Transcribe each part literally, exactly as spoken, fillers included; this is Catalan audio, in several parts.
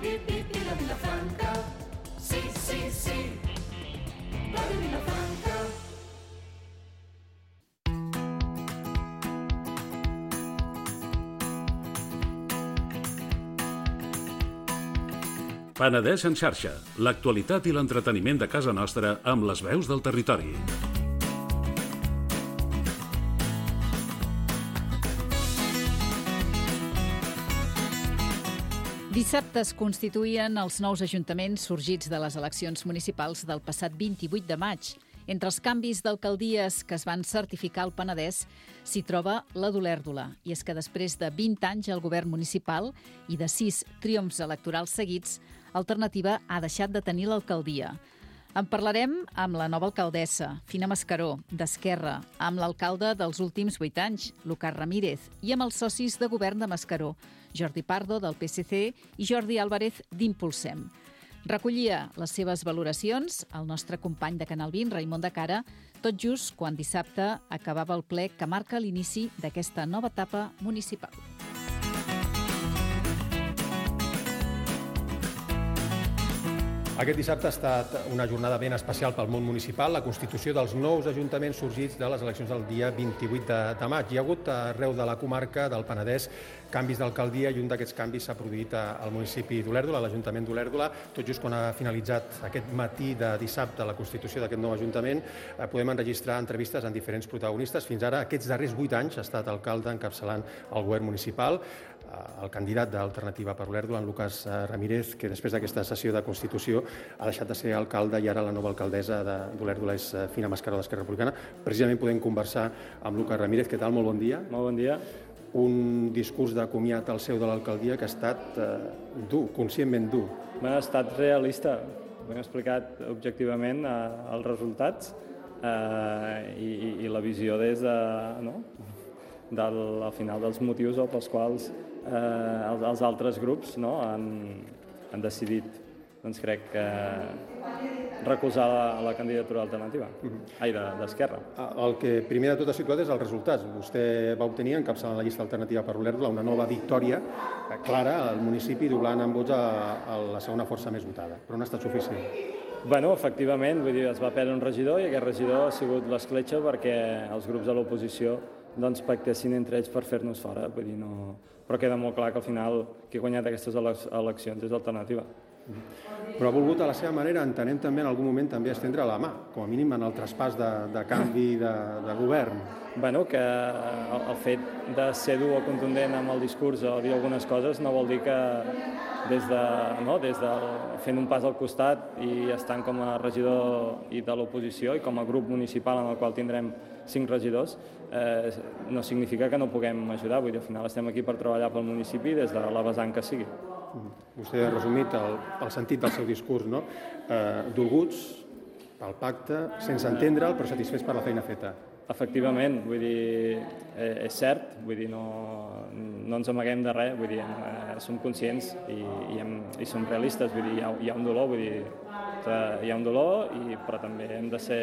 bip, bip i la Vilafranca. Sí, sí, sí, Ràdio Vilafranca. Penedès en xarxa, l'actualitat i l'entreteniment de casa nostra amb les veus del territori. Dissabte es constituïen els nous ajuntaments sorgits de les eleccions municipals del passat vint-i-vuit de maig. Entre els canvis d'alcaldies que es van certificar al Penedès s'hi troba la d'Olèrdola. I és que després de vint anys al govern municipal i de sis triomfs electorals seguits, Alternativa ha deixat de tenir l'alcaldia. En parlarem amb la nova alcaldessa, Fina Mascaró, d'Esquerra, amb l'alcalde dels últims vuit anys, Lucas Ramírez, i amb els socis de govern de Mascaró, Jordi Pardo, del P S C, i Jordi Álvarez, d'Impulsem. Recollia les seves valoracions el nostre company de Canal vint, Raimon de Cara, tot just quan dissabte acabava el ple que marca l'inici d'aquesta nova etapa municipal. Aquest dissabte ha estat una jornada ben especial pel món municipal, la constitució dels nous ajuntaments sorgits de les eleccions del dia vint-i-vuit de maig. Hi ha hagut arreu de la comarca del Penedès canvis d'alcaldia i un d'aquests canvis s'ha produït al municipi d'Olèrdola, a l'Ajuntament d'Olèrdola. Tot just quan ha finalitzat aquest matí de dissabte la constitució d'aquest nou ajuntament, podem enregistrar entrevistes amb diferents protagonistes. Fins ara, aquests darrers vuit anys, ha estat alcalde encapçalant el govern municipal, el candidat d'Alternativa per Olèrdola, en Lucas Ramírez, que després d'aquesta sessió de Constitució ha deixat de ser alcalde i ara la nova alcaldessa d'Olèrdola és Fina Mascaró, d'Esquerra Republicana. Precisament podem conversar amb Lucas Ramírez. Què tal? Molt bon dia. Molt bon dia. Un discurs de comiat al seu de l'alcaldia que ha estat eh, dur, conscientment dur. Ha estat realista. Hem explicat objectivament eh, els resultats eh, i, i la visió des de, no? del, al final dels motius pels quals eh, els, els altres grups no? han, han decidit, doncs crec que recolzar la, la candidatura alternativa, uh-huh. ai, d'Esquerra. El que primer de tot ha situat és els resultats. Vostè va obtenir, encapçalant la llista alternativa per Olèrdola, una nova victòria clara al municipi, doblant en vots a, a la segona força més votada, però no ha estat suficient. Bueno, efectivament, vull dir, es va perdre un regidor i aquest regidor ha sigut l'escletxa perquè els grups de l'oposició doncs pactessin entre ells per fer-nos fora. Vull dir, no... Però queda molt clar que al final qui ha guanyat aquestes eleccions és l'alternativa. Però ha volgut a la seva manera, entenem també en algun moment també estendre la mà, com a mínim en el traspàs de, de canvi de, de govern. Bueno, que el, el fet de ser dur o contundent amb el discurs o dir algunes coses no vol dir que des de, no, des de fent un pas al costat i estant com a regidor i de l'oposició i com a grup municipal en el qual tindrem cinc regidors, eh, no significa que no puguem ajudar. Vull dir, al final estem aquí per treballar pel municipi des de la vessant que sigui. Vostè ha resumit el, el sentit del seu discurs, no? Eh, dolguts pel pacte, sense entendre'l, però satisfets per la feina feta. Efectivament, vull dir, eh, és cert, vull dir, no, no ens amaguem de res, vull dir, eh, som conscients i, i, hem, i som realistes, vull dir, hi ha, hi ha un dolor, vull dir, hi ha un dolor, i, però també hem de ser,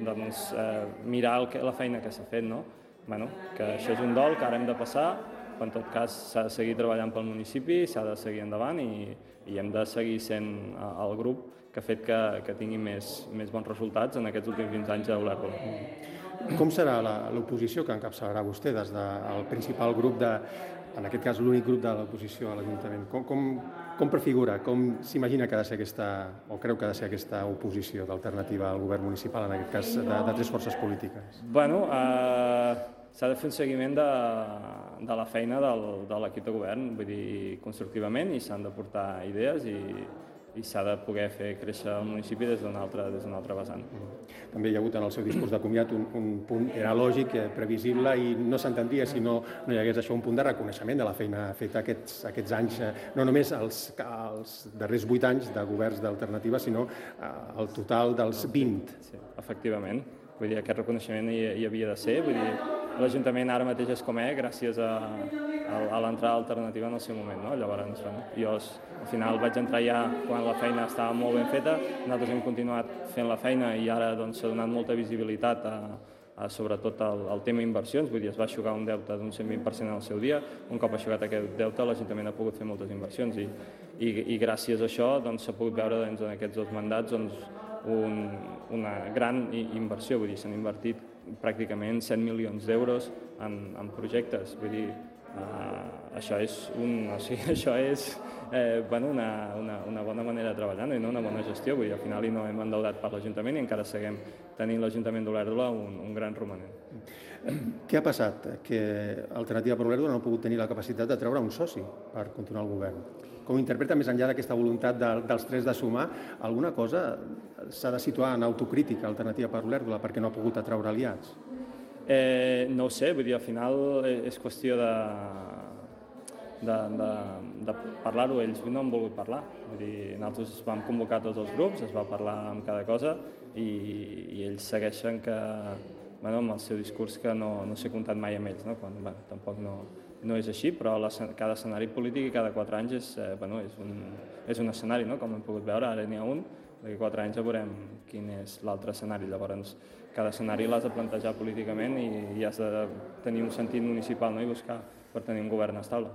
doncs, eh, mirar el que, la feina que s'ha fet, no? Bueno, que això és un dol que ara hem de passar, però en tot cas s'ha de seguir treballant pel municipi, s'ha de seguir endavant i, i hem de seguir sent el grup que ha fet que, que tingui més, més bons resultats en aquests últims vint anys a Olèrdola. Com serà l'oposició que encapçalarà vostè des del principal grup, de, en aquest cas l'únic grup de l'oposició a l'Ajuntament? Com, com, com prefigura, com s'imagina que ha de ser aquesta, o creu que ha de ser aquesta oposició d'alternativa al govern municipal, en aquest cas de, de tres forces polítiques? Bueno, eh, s'ha de fer un seguiment de, de la feina del, de l'equip de govern, vull dir, constructivament, i s'han de portar idees i, i s'ha de poder fer créixer el municipi des d'un altre, des d'un altre vessant. També hi ha hagut en el seu discurs de comiat un, un punt, era lògic, previsible, i no s'entendria si no, no hi hagués això, un punt de reconeixement de la feina feta aquests, aquests anys, no només els, els darrers vuit anys de governs d'alternativa, sinó el total dels vint. Sí, efectivament. Vull dir, aquest reconeixement hi, hi havia de ser. Vull dir, l'Ajuntament ara mateix és com és, gràcies a, a, a l'entrada alternativa en el seu moment, no? Llavors, bueno, jo al final vaig entrar ja quan la feina estava molt ben feta, nosaltres hem continuat fent la feina i ara doncs, s'ha donat molta visibilitat a, sobretot el, el tema inversions, vull dir, es va aixugar un deute d'un cent vint per cent al seu dia, un cop aixugat aquest deute l'Ajuntament ha pogut fer moltes inversions i, i, i gràcies a això doncs, s'ha pogut veure doncs, en aquests dos mandats doncs, un, una gran inversió, vull dir, s'han invertit pràcticament cent milions d'euros en, en projectes, vull dir, Uh, això és, un, o sigui, això és eh, bueno, una, una, una bona manera de treballar, no? I no una bona gestió, vull dir, al final no hem endeutat per l'Ajuntament i encara seguim tenint l'Ajuntament d'Olèrdola un, un gran romanent. Què ha passat? Que Alternativa per Olèrdola no ha pogut tenir la capacitat de treure un soci per continuar el govern. Com interpreta, més enllà d'aquesta voluntat de, dels tres de sumar, alguna cosa s'ha de situar en autocrítica Alternativa per Olèrdola perquè no ha pogut atraure aliats? Eh, no ho sé, vull dir, al final és qüestió de, de, de, de parlar-ho, ells no han volgut parlar. Vull dir, nosaltres vam convocar tots els grups, es va parlar amb cada cosa i, i ells segueixen que, bueno, amb el seu discurs que no, no s'ha comptat mai amb ells, no? Quan, bueno, tampoc no, no és així, però la, cada escenari polític i cada quatre anys és, eh, bueno, és, un, és un escenari, no? Com hem pogut veure, ara n'hi ha un, d'aquí quatre anys ja veurem quin és l'altre escenari. Llavors, cada escenari l'has de plantejar políticament i, i has de tenir un sentit municipal, no? I buscar per tenir un govern estable.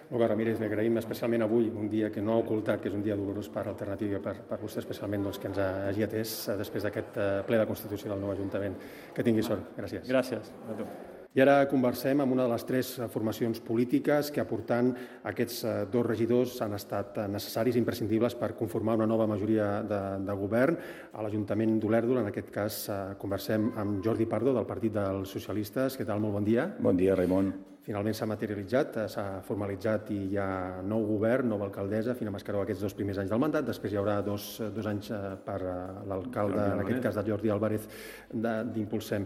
Olga Ramírez, m'agraïm especialment avui, un dia que no ha ocultat, que és un dia dolorós per Alternativa, per, per vostè especialment, doncs, que ens hagi atès després d'aquest ple de constitució del nou Ajuntament. Que tingui sort. Gràcies. Gràcies a tu. I ara conversem amb una de les tres formacions polítiques que, aportant aquests dos regidors, han estat necessaris i imprescindibles per conformar una nova majoria de, de govern a l'Ajuntament d'Olèrdola. En aquest cas, conversem amb Jordi Pardo, del Partit dels Socialistes. Què tal? Molt bon dia. Bon dia, Raimon. Finalment s'ha materialitzat, s'ha formalitzat i hi ha nou govern, nova alcaldessa, Fina Mascaró, aquests dos primers anys del mandat. Després hi haurà dos, dos anys per l'alcalde, en aquest cas de Jordi Álvarez, d'Impulsem.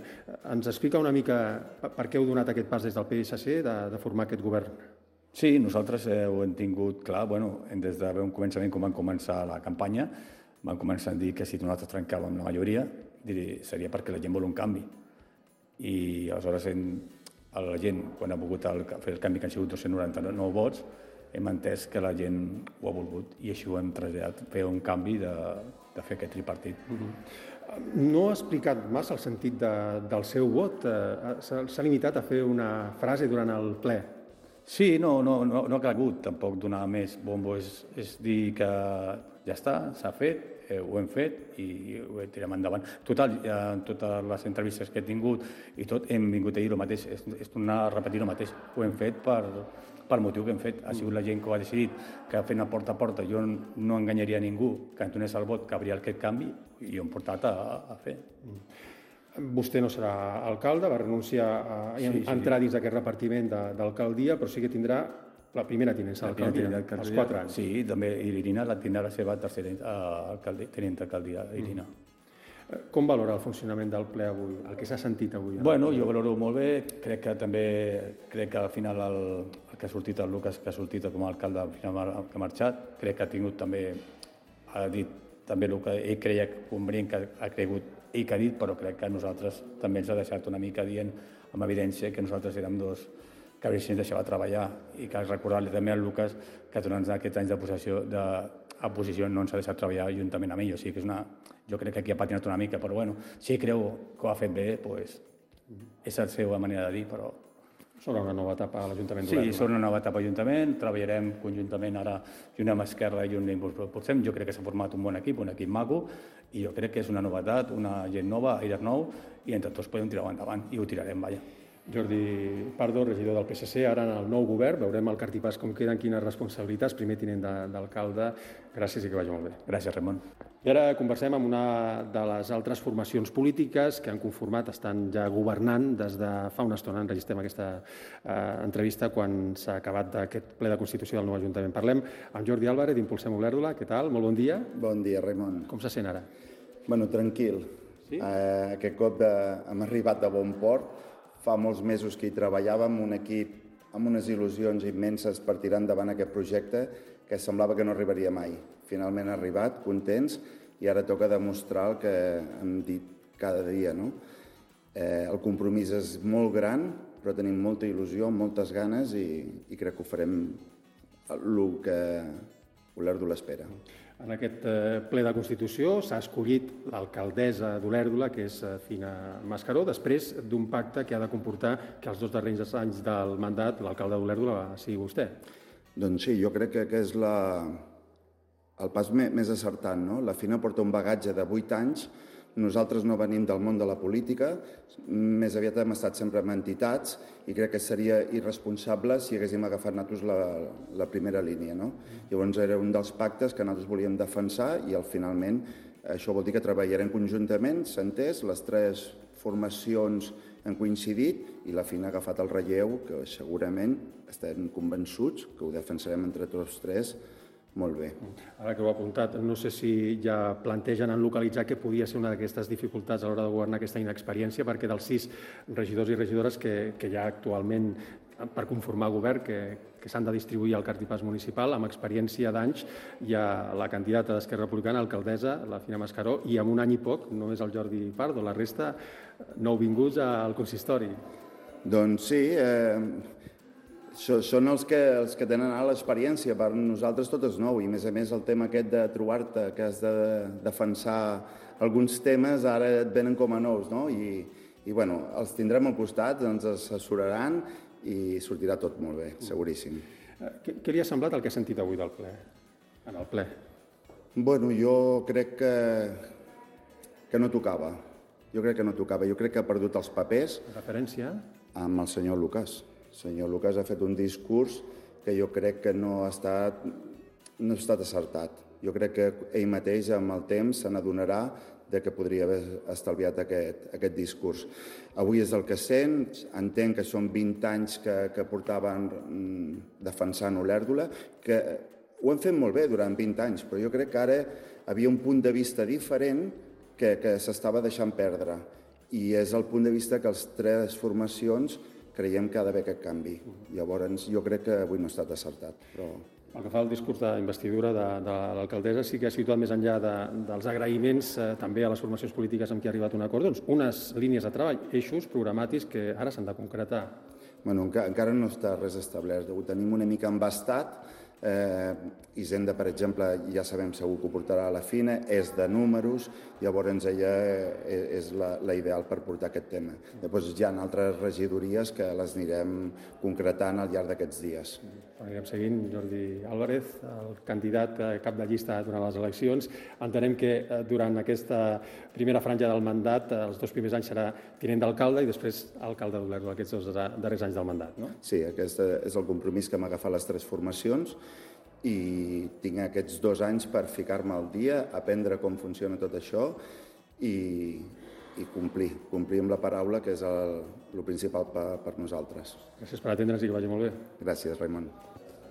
Ens explica una mica per què heu donat aquest pas des del P S C de, de formar aquest govern? Sí, nosaltres eh, ho hem tingut clar. Bueno, des de un començament, quan vam començar la campanya, vam començar a dir que si nosaltres trencàvem la majoria, dir, seria perquè la gent vol un canvi. I aleshores hem... la gent, quan ha volgut el, fer el canvi, que han sigut dos-cents noranta-nou vots, hem entès que la gent ho ha volgut i així ho hem traslladat, fer un canvi de, de fer aquest tripartit. Mm-hmm. No ha explicat massa el sentit de, del seu vot? S'ha limitat a fer una frase durant el ple? Sí, no, no, no, no ha calgut tampoc donar més bombo, és, és dir que ja està, s'ha fet, eh, ho hem fet i ho tirem endavant. Total, en totes les entrevistes que he tingut i tot, hem vingut a dir el mateix, és, és tornar a repetir el mateix. Ho hem fet per, per motiu que hem fet. Ha sigut la gent que ho ha decidit, que fent a porta a porta jo no enganyaria a ningú, que en donés el vot, que hauria aquest canvi i ho hem portat a, a fer. Vostè no serà alcalde, va renunciar a, a sí, sí. entrar dins d'aquest repartiment d'alcaldia, però sí que tindrà la primera tinença d'alcaldia, als quatre anys. Sí, també Irina la tindrà la seva tercera tinent d'alcaldia, Irina. Mm. Com valora el funcionament del ple avui, el que s'ha sentit avui? Bueno, jo valoro molt bé, crec que també, crec que al final el, el que ha sortit, el Lucas, que ha sortit com a alcalde, al final que ha marxat, crec que ha tingut també, ha dit també el que ell creia convenient, que ha cregut ell que ha dit, però crec que a nosaltres també ens ha deixat una mica dient amb evidència que nosaltres érem dos que si ens deixava treballar i que recordar-li també al Lucas que durant aquests anys de possessió de oposició no ens ha deixat treballar juntament amb ell. O sigui que és una... Jo crec que aquí ha patinat una mica, però bueno, si creu que ho ha fet bé, doncs és la seva manera de dir, però... Sobre una nova etapa a l'Ajuntament Sí, d'Olèrdola. sobre una nova etapa a l'Ajuntament, treballarem conjuntament ara i una mà esquerra i un impulsem. Jo crec que s'ha format un bon equip, un equip maco, i jo crec que és una novetat, una gent nova, aire nou, i entre tots podem tirar endavant, i ho tirarem, vaja. Jordi Pardo, regidor del P S C, ara en el nou govern, veurem el cartipàs com queden, quines responsabilitats, primer tinent d'alcalde. Gràcies i que vagi molt bé. Gràcies, Ramon. I ara conversem amb una de les altres formacions polítiques que han conformat, estan ja governant des de fa una estona. Enregistrem aquesta eh, entrevista quan s'ha acabat aquest ple de constitució del nou Ajuntament. Parlem amb Jordi Álvarez, d'Impulsem Olèrdola. Què tal? Molt bon dia. Bon dia, Ramon. Com se sent ara? Bueno, tranquil. Sí? Eh, aquest cop de... hem arribat de bon port. Fa molts mesos que hi treballàvem, un equip amb unes il·lusions immenses per tirar endavant aquest projecte que semblava que no arribaria mai. Finalment ha arribat, contents, i ara toca demostrar el que hem dit cada dia, no? Eh, el compromís és molt gran, però tenim molta il·lusió, moltes ganes, i, i crec que ho farem el que, Olèrdola espera. En aquest ple de Constitució s'ha escollit l'alcaldessa d'Olèrdola, que és Fina Mascaró, després d'un pacte que ha de comportar que els dos darrers anys del mandat l'alcalde d'Olèrdola sigui vostè. Doncs sí, jo crec que és la, el pas més acertant, no? La Fina porta un bagatge de vuit anys. Nosaltres no venim del món de la política, més aviat hem estat sempre en entitats i crec que seria irresponsable si haguéssim agafat nosaltres la, la primera línia. No? Llavors era un dels pactes que nosaltres volíem defensar i al finalment això vol dir que treballarem conjuntament, s'ha entès, les tres formacions han coincidit i la Fina ha agafat el relleu que segurament estem convençuts que ho defensarem entre tots tres molt bé. Ara que ho ha apuntat, no sé si ja plantegen en localitzar que podia ser una d'aquestes dificultats a l'hora de governar aquesta inexperiència, perquè dels sis regidors i regidores que, que hi ha actualment per conformar govern, que, que s'han de distribuir al cartipàs municipal, amb experiència d'anys, hi ha la candidata d'Esquerra Republicana, alcaldessa, la Fina Mascaró, i amb un any i poc, només el Jordi Pardo, la resta nouvinguts al consistori. Doncs sí, eh... són els que, els que tenen l'experiència, per nosaltres tot és nou i a més a més el tema aquest de trobar-te que has de defensar alguns temes ara et venen com a nous, no? I, i bueno, els tindrem al costat, ens assessoraran i sortirà tot molt bé, seguríssim. Què, què li ha semblat el que ha sentit avui del ple, en el ple? Bueno, jo crec que, que no tocava, jo crec que no tocava, jo crec que ha perdut els papers. Referència? Amb el senyor Lucas. El senyor Lucas ha fet un discurs que jo crec que no ha estat, no ha estat acertat. Jo crec que ell mateix, amb el temps, se n'adonarà de que podria haver estalviat aquest, aquest discurs. Avui és el que sent, entenc que són vint anys que, que portaven defensant Olèrdola, que ho han fet molt bé durant vint anys, però jo crec que ara havia un punt de vista diferent que, que s'estava deixant perdre. I és el punt de vista que les tres formacions creiem que ha d'haver aquest canvi. Llavors, jo crec que avui no ha estat acertat. Però... El que fa el discurs d'investidura de, de l'alcaldessa sí que ha situat més enllà de, dels agraïments eh, també a les formacions polítiques amb qui ha arribat un acord, doncs unes línies de treball, eixos programàtics que ara s'han de concretar. Bueno, encara, encara no està res establert. Ho tenim una mica embastat. Eh, Hisenda, per exemple, ja sabem segur que ho portarà a la Fina, és de números, llavors ella és la, la ideal per portar aquest tema. Després hi ha altres regidories que les anirem concretant al llarg d'aquests dies. Anirem seguint. Jordi Álvarez, el candidat cap de llista durant les eleccions. Entenem que durant aquesta primera franja del mandat, els dos primers anys serà tinent d'alcalde i després alcalde d'Olèrdola, aquests dos darrers anys del mandat, no? Sí, aquest és el compromís que hem agafat les tres formacions i tinc aquests dos anys per ficar-me al dia, aprendre com funciona tot això i, i complir, complir amb la paraula, que és el, el principal per, per nosaltres. Gràcies per atendre'ns i que vagi molt bé. Gràcies, Raimon.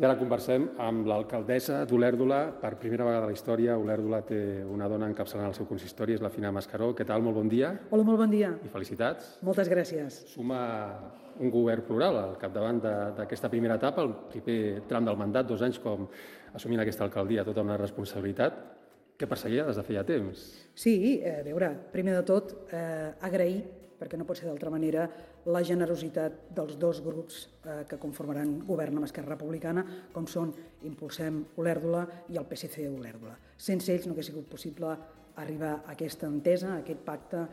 I ara conversem amb l'alcaldessa d'Olèrdola. Per primera vegada a la història, Olèrdola té una dona encapçalant el seu consistori, és la Fina Mascaró. Què tal? Molt bon dia. Hola, molt bon dia. I felicitats. Moltes gràcies. Suma un govern plural al capdavant d'aquesta primera etapa, el primer tram del mandat, dos anys com assumint aquesta alcaldia, tota una responsabilitat que perseguia des de feia temps. Sí, a veure, primer de tot, eh, agrair, perquè no pot ser d'altra manera, la generositat dels dos grups eh, que conformaran govern amb Esquerra Republicana, com són Impulsem Olèrdola i el P S C Olèrdola. Sense ells no hauria sigut possible arribar a aquesta entesa, a aquest pacte,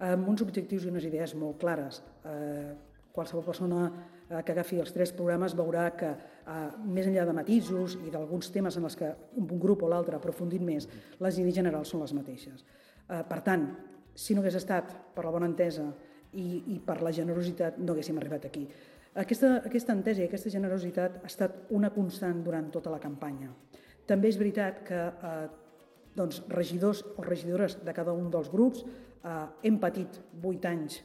amb uns objectius i unes idees molt clares. Eh, qualsevol persona eh, que agafi els tres programes veurà que, eh, més enllà de matisos i d'alguns temes en els que un grup o l'altre ha aprofundit més, les idees generals són les mateixes. Eh, per tant, si no hagués estat per la bona entesa i, i per la generositat, no haguéssim arribat aquí. Aquesta, aquesta entesa i aquesta generositat ha estat una constant durant tota la campanya. També és veritat que eh, doncs, regidors o regidores de cada un dels grups eh, hem patit vuit anys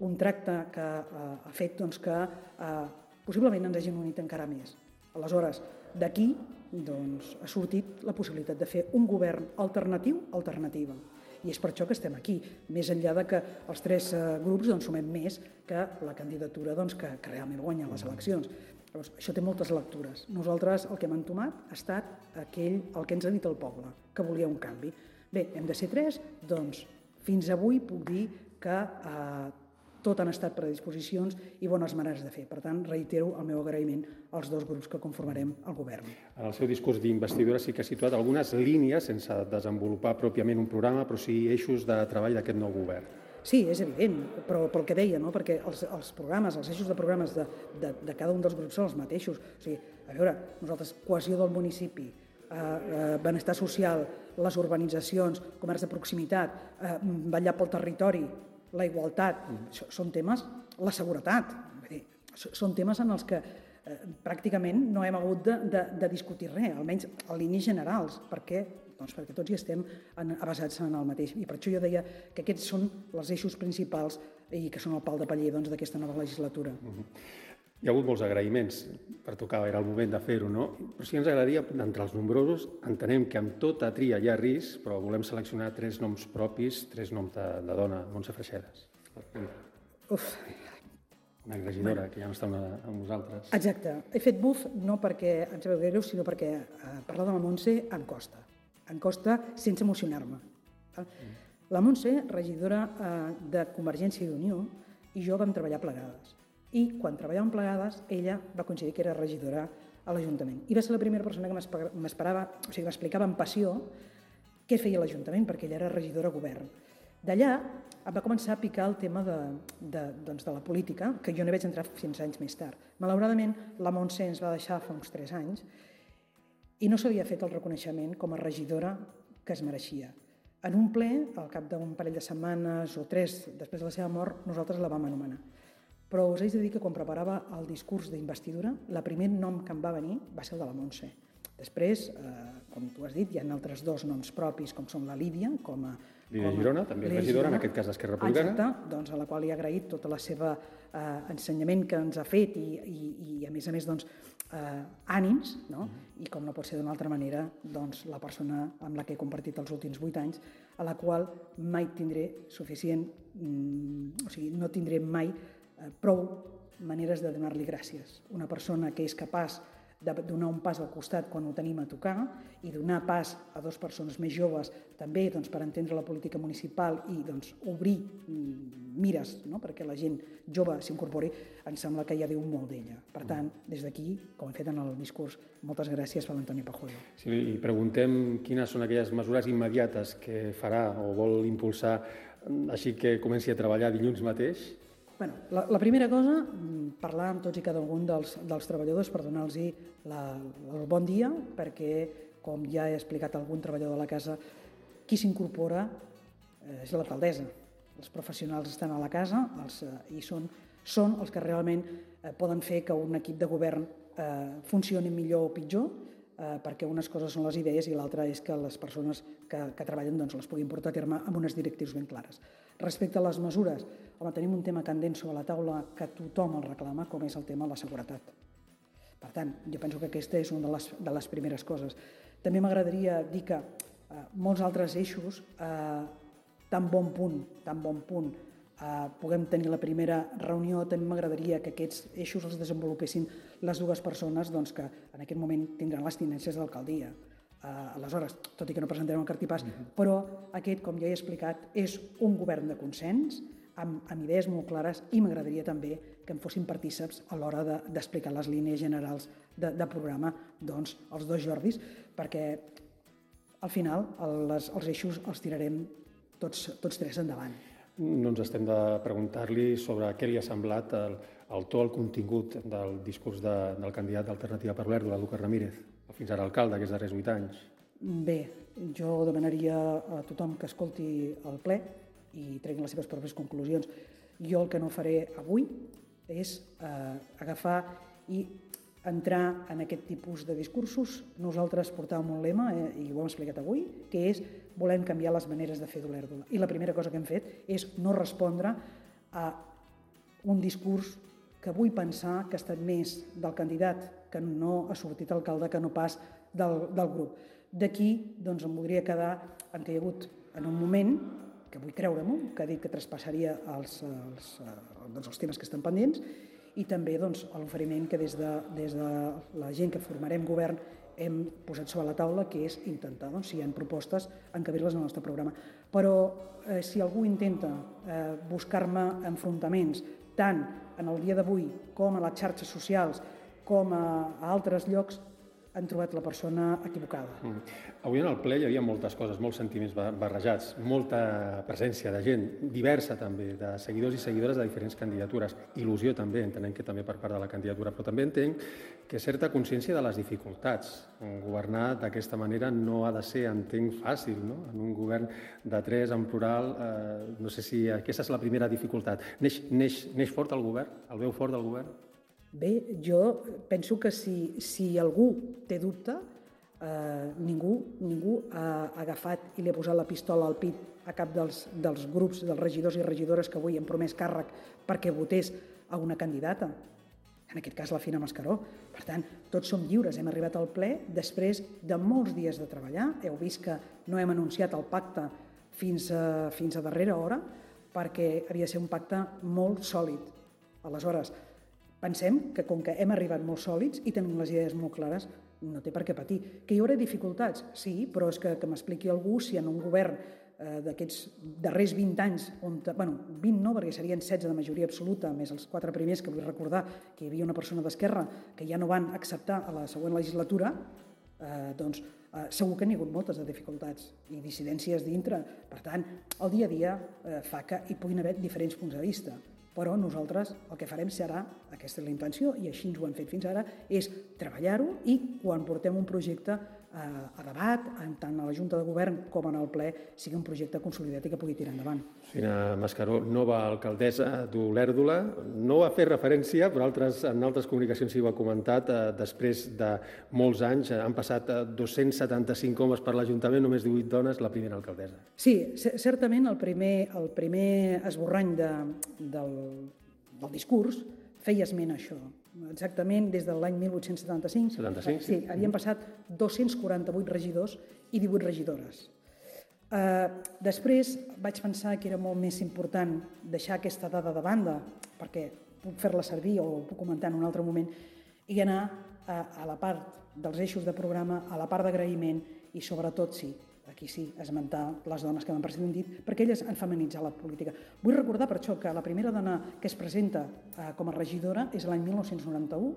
un tracte que eh, ha fet doncs, que eh, possiblement ens hagin unit encara més. Aleshores, d'aquí doncs, ha sortit la possibilitat de fer un govern alternatiu, alternativa. I és per això que estem aquí, més enllà de que els tres eh, grups doncs, sumem més que la candidatura doncs, que, que realment guanya les eleccions. Llavors, això té moltes lectures. Nosaltres el que hem entomat ha estat aquell, el que ens ha dit el poble, que volia un canvi. Bé, hem de ser tres, doncs fins avui puc dir que eh, tot han estat predisposicions i bones maneres de fer. Per tant, reitero el meu agraïment als dos grups que conformarem el govern. En el seu discurs d'investidura sí que ha situat algunes línies, sense desenvolupar pròpiament un programa, però sí eixos de treball d'aquest nou govern. Sí, és evident, però pel que deia, no? Perquè els, els programes, els eixos de programes de, de, de cada un dels grups són els mateixos. O sigui, a veure, nosaltres, cohesió del municipi, eh, eh, benestar social, les urbanitzacions, comerç de proximitat, eh, vetllar pel territori, la igualtat, mm. són temes, la seguretat, vull dir, són temes en els que eh, pràcticament no hem hagut de, de, de discutir res, almenys en línies generals, perquè, doncs perquè tots hi estem en, basats en el mateix. I per això jo deia que aquests són els eixos principals i que són el pal de paller doncs, d'aquesta nova legislatura. Mm-hmm. Hi ha hagut molts agraïments, per tocar, era el moment de fer-ho, no? Però sí que ens agradaria, d'entre els nombrosos, entenem que amb tota tria hi ha risc, però volem seleccionar tres noms propis, tres noms de, de dona, Montse Freixedas. Uf. Una regidora bueno, que ja no està amb nosaltres. Exacte. He fet buf no perquè em sabeu greu, sinó perquè eh, parlar de la Montse em costa. Em costa sense emocionar-me. Mm. La Montse, regidora eh, de Convergència i Unió, i jo vam treballar plegades. I quan treballàvem plegades, ella va coincidir que era regidora a l'Ajuntament. I va ser la primera persona que m'esperava, o sigui, m'explicava amb passió què feia l'Ajuntament, perquè ella era regidora a govern. D'allà em va començar a picar el tema de, de, doncs de la política, que jo no hi vaig entrar fins anys més tard. Malauradament, la Montse ens va deixar fa uns tres anys i no s'havia fet el reconeixement com a regidora que es mereixia. En un ple, al cap d'un parell de setmanes o tres després de la seva mort, nosaltres la vam anomenar. Però us haig de dir que quan preparava el discurs d'investidura, el primer nom que em va venir va ser el de la Montse. Després, eh, com tu has dit, hi ha altres dos noms propis, com són la Lídia, com a... Lídia Girona, també regidora, en aquest cas d'Esquerra Republicana. Exacte, doncs a la qual li he agraït tot el seu eh, ensenyament que ens ha fet i, i, i a més a més, doncs, eh, ànims, no? I com no pot ser d'una altra manera, doncs, la persona amb la que he compartit els últims vuit anys, a la qual mai tindré suficient, mm, o sigui, no tindré mai prou maneres de donar-li gràcies. Una persona que és capaç de donar un pas al costat quan ho tenim a tocar i donar pas a dues persones més joves també doncs, per entendre la política municipal i doncs, obrir mires, no? Perquè la gent jove s'incorpori, em sembla que ja diu molt d'ella. Per tant, des d'aquí, com he fet en el discurs, moltes gràcies per l'Antoni Pajuelo. Sí, i preguntem quines són aquelles mesures immediates que farà o vol impulsar així que comenci a treballar dilluns mateix. Bueno, la, la primera cosa, parlar amb tots i cada un dels, dels treballadors per donar-los el bon dia, perquè, com ja he explicat a algun treballador de la casa, qui s'incorpora eh, és l'alcaldessa. Els professionals estan a la casa els, eh, i són, són els que realment eh, poden fer que un equip de govern eh, funcioni millor o pitjor, eh, perquè unes coses són les idees i l'altra és que les persones que, que treballen doncs, les puguin portar a terme amb unes directrius ben clares. Respecte a les mesures, home, tenim un tema candent sobre la taula que tothom el reclama, com és el tema de la seguretat. Per tant, jo penso que aquesta és una de les, de les primeres coses. També m'agradaria dir que eh, molts altres eixos, eh, tan bon punt, tan bon punt, eh, puguem tenir la primera reunió, també m'agradaria que aquests eixos els desenvolupessin les dues persones doncs, que en aquest moment tindran les tinències de l'alcaldia. Uh, aleshores, tot i que no presentarem el cartipàs, uh-huh. però aquest, com ja he explicat, és un govern de consens, amb, amb idees molt clares, i m'agradaria també que en fossin partíceps a l'hora de, d'explicar les línies generals de, de programa, doncs, els dos Jordis, perquè al final les, els eixos els tirarem tots, tots tres endavant. No ens estem de preguntar-li sobre què li ha semblat el, el to, el contingut del discurs de, del candidat d'Alternativa per l'Erdo, la Lucas Ramírez, fins ara alcalde, aquests darrers vuit anys. Bé, jo demanaria a tothom que escolti el ple i treguin les seves pròpies conclusions. Jo el que no faré avui és eh, agafar i entrar en aquest tipus de discursos. Nosaltres portàvem un lema, eh, i ho hem explicat avui, que és volem canviar les maneres de fer d'Olèrdola. I la primera cosa que hem fet és no respondre a un discurs que vull pensar que ha estat més del candidat que no ha sortit alcalde que no pas del, del grup. D'aquí doncs, em voldria quedar en que hi ha hagut en un moment, que vull creure-m'ho, que ha dit que traspassaria els, els, doncs, els temes que estan pendents i també doncs, l'oferiment que des de, des de la gent que formarem govern hem posat sobre la taula, que és intentar, doncs, si hi ha propostes, encabir-les en el nostre programa. Però eh, si algú intenta eh, buscar-me enfrontaments, tant en el dia d'avui com a les xarxes socials, com a, a altres llocs, han trobat la persona equivocada. Mm. Avui en el ple hi havia moltes coses, molts sentiments barrejats, molta presència de gent, diversa també, de seguidors i seguidores de diferents candidatures. Il·lusió també, entenem que també per part de la candidatura, però també entenc que certa consciència de les dificultats. Governar d'aquesta manera no ha de ser, entenc, fàcil, no? En un govern de tres, en plural, eh, no sé si aquesta és la primera dificultat. Neix, neix, neix fort el govern? El veu fort del govern? Bé, jo penso que si, si algú té dubte, eh, ningú, ningú ha agafat i li ha posat la pistola al pit a cap dels, dels grups, dels regidors i regidores que avui han promès càrrec perquè votés a una candidata, en aquest cas la Fina Mascaró. Per tant, tots som lliures, hem arribat al ple després de molts dies de treballar. Heu vist que no hem anunciat el pacte fins a, fins a darrera hora perquè havia de ser un pacte molt sòlid. Aleshores, pensem que com que hem arribat molt sòlids i tenim les idees molt clares, no té per què patir. Que hi haurà dificultats? Sí, però és que, que m'expliqui algú si en un govern eh, d'aquests darrers vint anys, on, bueno, vint no, perquè serien setze de majoria absoluta, més els quatre primers, que vull recordar que hi havia una persona d'Esquerra que ja no van acceptar a la següent legislatura, eh, doncs eh, segur que n'hi ha hagut moltes de dificultats i dissidències dintre. Per tant, el dia a dia eh, fa que hi puguin haver diferents punts de vista. Però nosaltres el que farem serà, aquesta és la intenció, i així ens ho hem fet fins ara, és treballar-ho i quan portem un projecte eh, a debat, tant a la Junta de Govern com en el ple, sigui un projecte consolidat i que pugui tirar endavant. Fina Mascaró, nova alcaldessa d'Olèrdola, no va fer referència, però altres, en altres comunicacions s'hi ho ha comentat, eh, després de molts anys, eh, han passat dos-cents setanta-cinc homes per l'Ajuntament, només divuit dones, la primera alcaldessa. Sí, certament el primer, el primer esborrany de, del, del discurs feia esment a això. Exactament des de l'any mil vuit-cents setanta-cinc, setanta-cinc, sí, havien passat dos-cents quaranta-vuit regidors i divuit regidores. Uh, després vaig pensar que era molt més important deixar aquesta dada de banda, perquè puc fer-la servir o ho puc comentar en un altre moment, i anar a, a la part dels eixos de programa, a la part d'agraïment i sobretot, sí, aquí sí, esmentar les dones que m'han precedit, perquè elles han feminitzat la política. Vull recordar per això que la primera dona que es presenta eh, com a regidora és l'any mil nou-cents noranta-u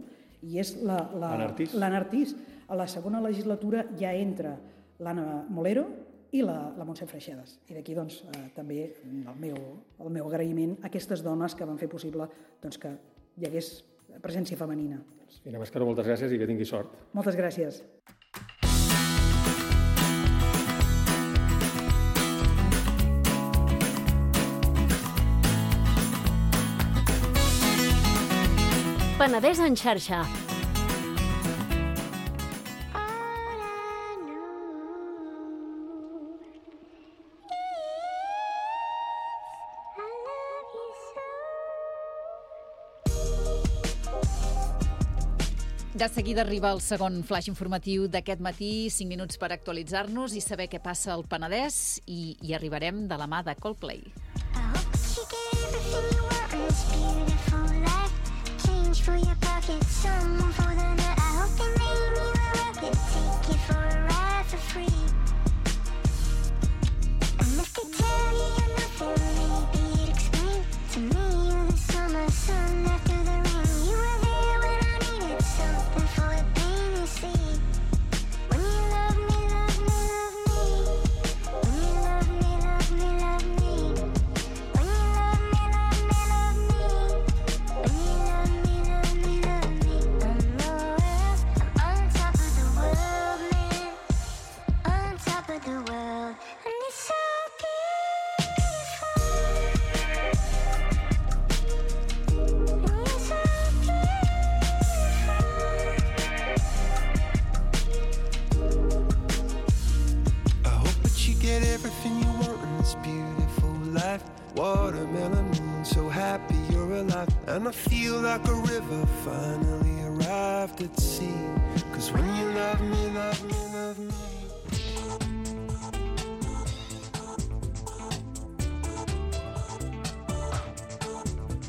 i és l'Anna Artís. A la segona legislatura ja entra l'Anna Molero i la, la Montse Freixedes. I d'aquí doncs, eh, també el meu, el meu agraïment a aquestes dones que van fer possible doncs, que hi hagués presència femenina. Fina Mascaró, moltes gràcies i que tingui sort. Moltes gràcies. Penedès en xarxa. De seguida arriba el segon flash informatiu d'aquest matí, cinc minuts per actualitzar-nos i saber què passa al Penedès i hi arribarem de la mà de Coldplay. For your pocket, someone for the night. I hope they made me a rocket, take you for a ride for free. And if they tell you you're nothing, maybe it explain to me you're the summer sun after the rain. You were there when I needed something for the pain you see. When you love me, love me, love me. When you love me, love me, love me. When you love me, love me, love me. When you love me. Watermelon moon, so happy you're alive. And I feel like a river finally arrived at sea. Cause when you love me, love me, love me.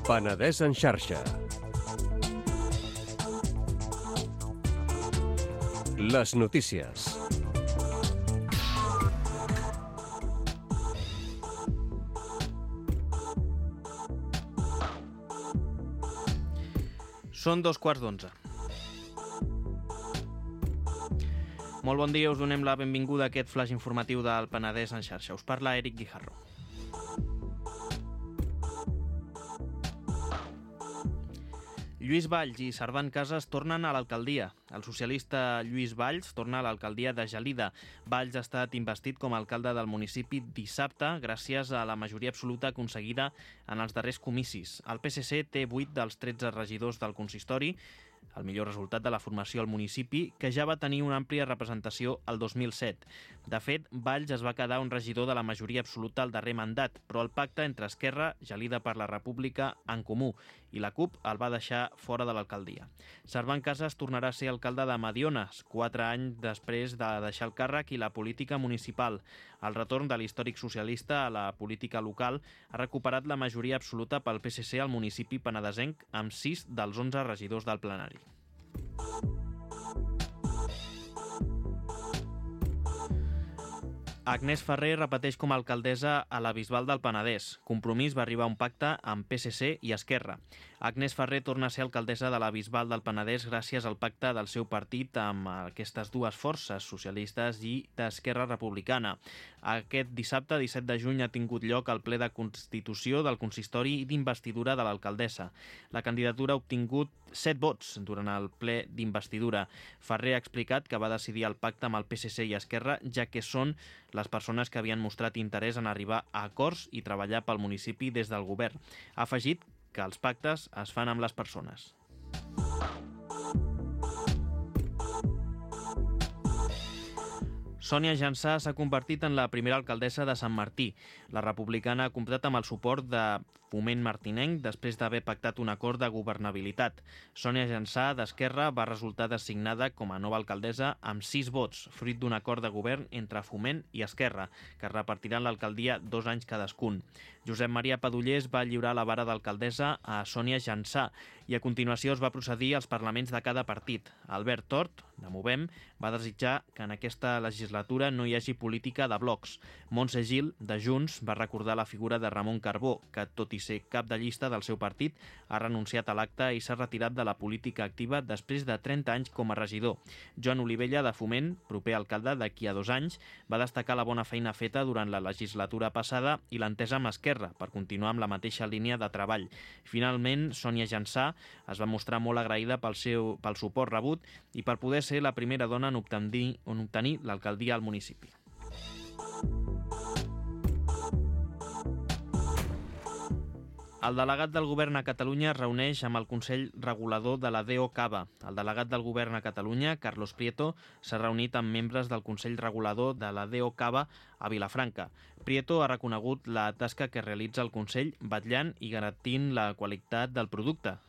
Penedès en xarxa. Les notícies. Són dos quarts d'onze. Molt bon dia, us donem la benvinguda a aquest flash informatiu del Penedès en xarxa. Us parla Eric Guijarro. Lluís Valls i Servant Casas tornen a l'alcaldia. El socialista Lluís Valls torna a l'alcaldia de Gelida. Valls ha estat investit com a alcalde del municipi dissabte gràcies a la majoria absoluta aconseguida en els darrers comicis. El P S C té vuit dels tretze regidors del consistori, el millor resultat de la formació al municipi, que ja va tenir una àmplia representació el dos mil set. De fet, Valls es va quedar un regidor de la majoria absoluta al darrer mandat, però el pacte entre Esquerra, Gelida per la República, En Comú i la CUP el va deixar fora de l'alcaldia. Servant Casas tornarà a ser alcalde de Mediones, quatre anys després de deixar el càrrec i la política municipal. El retorn de l'històric socialista a la política local ha recuperat la majoria absoluta pel P S C al municipi penedesenc amb sis dels onze regidors del plenari. Agnès Ferrer repeteix com a alcaldessa a la Bisbal del Penedès. Compromís va arribar a un pacte amb P S C i Esquerra. Agnès Ferrer torna a ser alcaldessa de la Bisbal del Penedès gràcies al pacte del seu partit amb aquestes dues forces, socialistes i d'Esquerra Republicana. Aquest dissabte, disset de juny, ha tingut lloc el ple de constitució del consistori i d'investidura de l'alcaldessa. La candidatura ha obtingut set vots durant el ple d'investidura. Ferrer ha explicat que va decidir el pacte amb el P S C i Esquerra, ja que són les persones que havien mostrat interès en arribar a acords i treballar pel municipi des del govern. Ha afegit que els pactes es fan amb les persones. Sònia Jansà s'ha convertit en la primera alcaldessa de Sant Martí. La republicana ha comptat amb el suport de Foment Martinenc després d'haver pactat un acord de governabilitat. Sònia Jansà, d'Esquerra, va resultar designada com a nova alcaldessa amb sis vots, fruit d'un acord de govern entre Foment i Esquerra, que repartiran l'alcaldia dos anys cadascun. Josep Maria Padullers va lliurar la vara d'alcaldessa a Sònia Jansà i a continuació es va procedir als parlaments de cada partit. Albert Tort, de Movem, va desitjar que en aquesta legislatura no hi hagi política de blocs. Montse Gil, de Junts, va recordar la figura de Ramon Carbó, que, tot i ser cap de llista del seu partit, ha renunciat a l'acte i s'ha retirat de la política activa després de trenta anys com a regidor. Joan Olivella, de Foment, proper alcalde d'aquí a dos anys, va destacar la bona feina feta durant la legislatura passada i l'entesa amb Esquerra per continuar amb la mateixa línia de treball. Finalment, Sònia Jansà es va mostrar molt agraïda pel seu pel suport rebut i per poder ser la primera dona en obtenir, en obtenir l'alcaldia al municipi. El delegat del govern a Catalunya es reuneix amb el Consell Regulador de la D O Cava. El delegat del govern a Catalunya, Carlos Prieto, s'ha reunit amb membres del Consell Regulador de la D O Cava a Vilafranca. Prieto ha reconegut la tasca que realitza el Consell vetllant i garantint la qualitat del producte,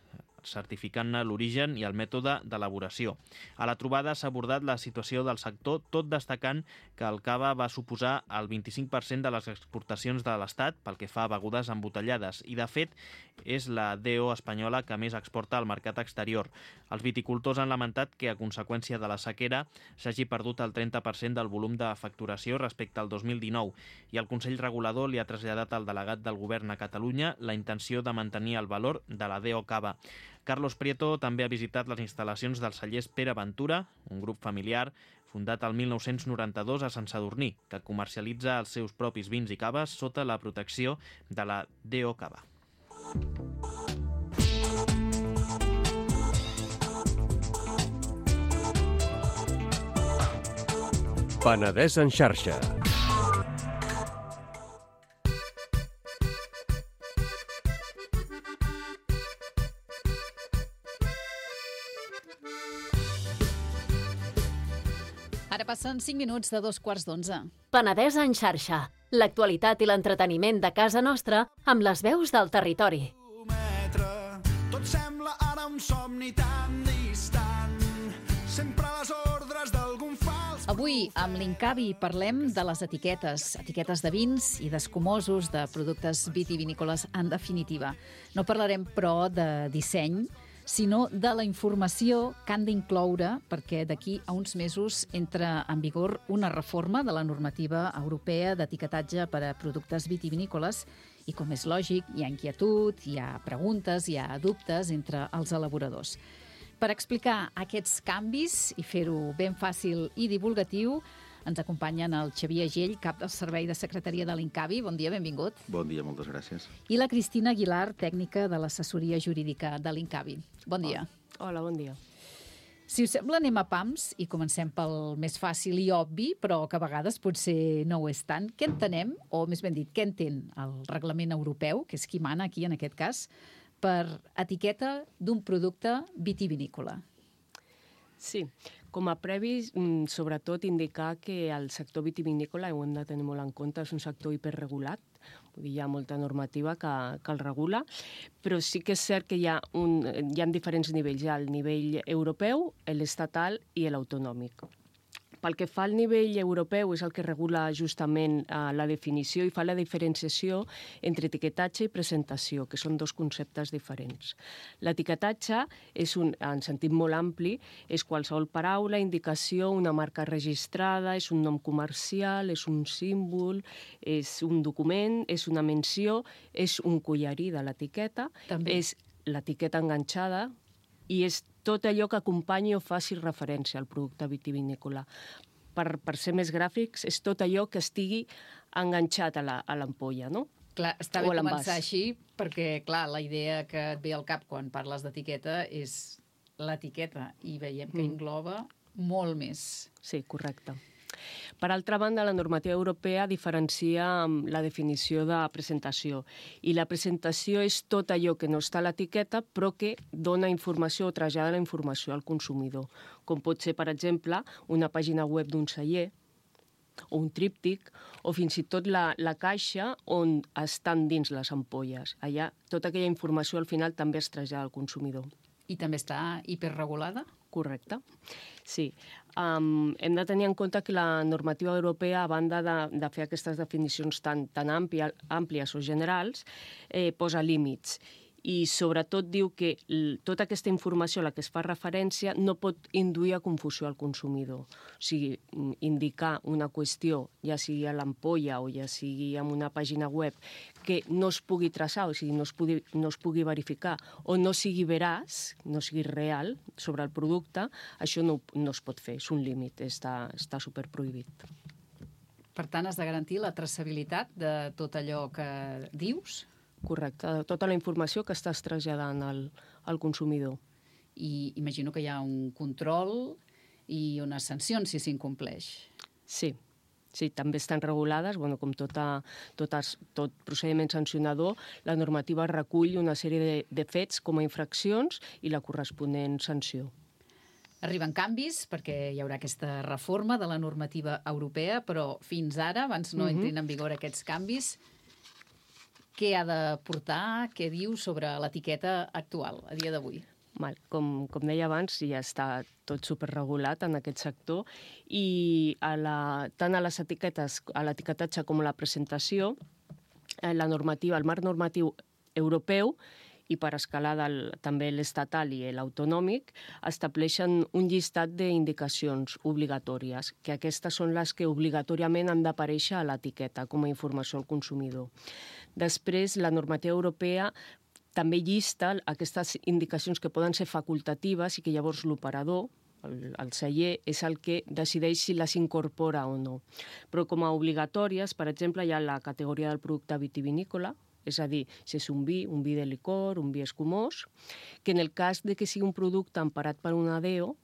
certificant-ne l'origen i el mètode d'elaboració. A la trobada s'ha abordat la situació del sector, tot destacant que el cava va suposar el vint-i-cinc per cent de les exportacions de l'Estat pel que fa a begudes embotellades i, de fet, és la D O espanyola que més exporta al mercat exterior. Els viticultors han lamentat que, a conseqüència de la sequera, s'hagi perdut el trenta per cent del volum de facturació respecte al dos mil dinou i el Consell Regulador li ha traslladat al delegat del govern a Catalunya la intenció de mantenir el valor de la D O Cava. Carlos Prieto també ha visitat les instal·lacions dels cellers Pere Ventura, un grup familiar fundat el mil nou-cents noranta-dos a Sant Sadurní, que comercialitza els seus propis vins i caves sota la protecció de la D O Cava. Penedès en xarxa. Ara passen cinc minuts de dos quarts d'onze. Penedès en xarxa. L'actualitat i l'entreteniment de casa nostra amb les veus del territori. Tot sembla ara un somni tan distant. Sempre a les ordres d'algun fals... Avui, amb l'Incavi, parlem de les etiquetes. Etiquetes de vins i d'escumosos, de productes vitivinícoles en definitiva. No parlarem, però, de disseny, sinó de la informació que han d'incloure, perquè d'aquí a uns mesos entra en vigor una reforma de la normativa europea d'etiquetatge per a productes vitivinícoles i, com és lògic, hi ha inquietud, hi ha preguntes, hi ha dubtes entre els elaboradors. Per explicar aquests canvis i fer-ho ben fàcil i divulgatiu, ens acompanyen el Xavier Agell, cap del Servei de Secretaria de l'Incavi. Bon dia, benvingut. Bon dia, moltes gràcies. I la Cristina Aguilar, tècnica de l'assessoria jurídica de l'Incavi. Bon dia. Hola, bon dia. Si us sembla, anem a pams i comencem pel més fàcil i obvi, però que a vegades potser no ho és tant. Què entenem, o més ben dit, què entén el reglament europeu, que és qui mana aquí en aquest cas, per etiqueta d'un producte vitivinícola? Sí, com a previ, sobretot indicar que el sector vitivinícola, ho hem de tenir molt en compte, és un sector hiperregulat, vull dir, hi ha molta normativa que, que el regula, però sí que és cert que hi ha, un, hi ha diferents nivells, hi ha el nivell europeu, l'estatal i l'autonòmic. Pel que fa al nivell europeu, és el que regula justament eh, la definició i fa la diferenciació entre etiquetatge i presentació, que són dos conceptes diferents. L'etiquetatge és, un, en sentit molt ampli, és qualsevol paraula, indicació, una marca registrada, és un nom comercial, és un símbol, és un document, és una menció, és un collarí de l'etiqueta, és l'etiqueta enganxada, i és tot allò que acompanyi o faci referència al producte vitivinícola. Per, per ser més gràfics, és tot allò que estigui enganxat a l'ampolla, no? Clar, està bé començar així, perquè, clar, la idea que et ve al cap quan parles d'etiqueta és l'etiqueta, i veiem que engloba molt més. Sí, correcte. Per altra banda, la normativa europea diferencia la definició de presentació. I la presentació és tot allò que no està a l'etiqueta, però que dona informació o trasllada la informació al consumidor. Com pot ser, per exemple, una pàgina web d'un celler, o un tríptic, o fins i tot la, la caixa on estan dins les ampolles. Allà, tota aquella informació al final també es trasllada al consumidor. I també està hiperregulada? Correcte. Sí. Um, hem de tenir en compte que la normativa europea, a banda de, de fer aquestes definicions tan, tan àmplia, àmplies o generals, eh, posa límits. I sobretot diu que tota aquesta informació a la que es fa referència no pot induir a confusió al consumidor. O sigui, indicar una qüestió, ja sigui a l'ampolla o ja sigui en una pàgina web, que no es pugui traçar, o sigui, no es pugui, no es pugui verificar o no sigui veraç, no sigui real sobre el producte, això no, no es pot fer, és un límit, està, està superprohibit. Per tant, has de garantir la traçabilitat de tot allò que dius? Correcte, tota la informació que estàs traslladant al, al consumidor. I imagino que hi ha un control i unes sancions si s'incompleix. Sí, sí, també estan regulades, bueno, com tota, totes, tot procediment sancionador, la normativa recull una sèrie de, de fets com a infraccions i la corresponent sanció. Arriben canvis, perquè hi haurà aquesta reforma de la normativa europea, però fins ara, abans no entrin en vigor aquests canvis, què ha de portar, què diu sobre l'etiqueta actual, a dia d'avui? Com, com deia abans, ja està tot superregulat en aquest sector i a la, tant a les etiquetes, a l'etiquetatge com a la presentació, la normativa, el marc normatiu europeu i per escalar del, també l'estatal i l'autonòmic, estableixen un llistat d'indicacions obligatòries, que aquestes són les que obligatòriament han d'aparèixer a l'etiqueta com a informació al consumidor. Després, la normativa europea també llista aquestes indicacions que poden ser facultatives i que llavors l'operador, el, el celler, és el que decideix si les incorpora o no. Però com a obligatòries, per exemple, hi ha la categoria del producte vitivinícola, és a dir, si és un vi, un vi de licor, un vi escumós, que en el cas de que sigui un producte emparat per una D E O,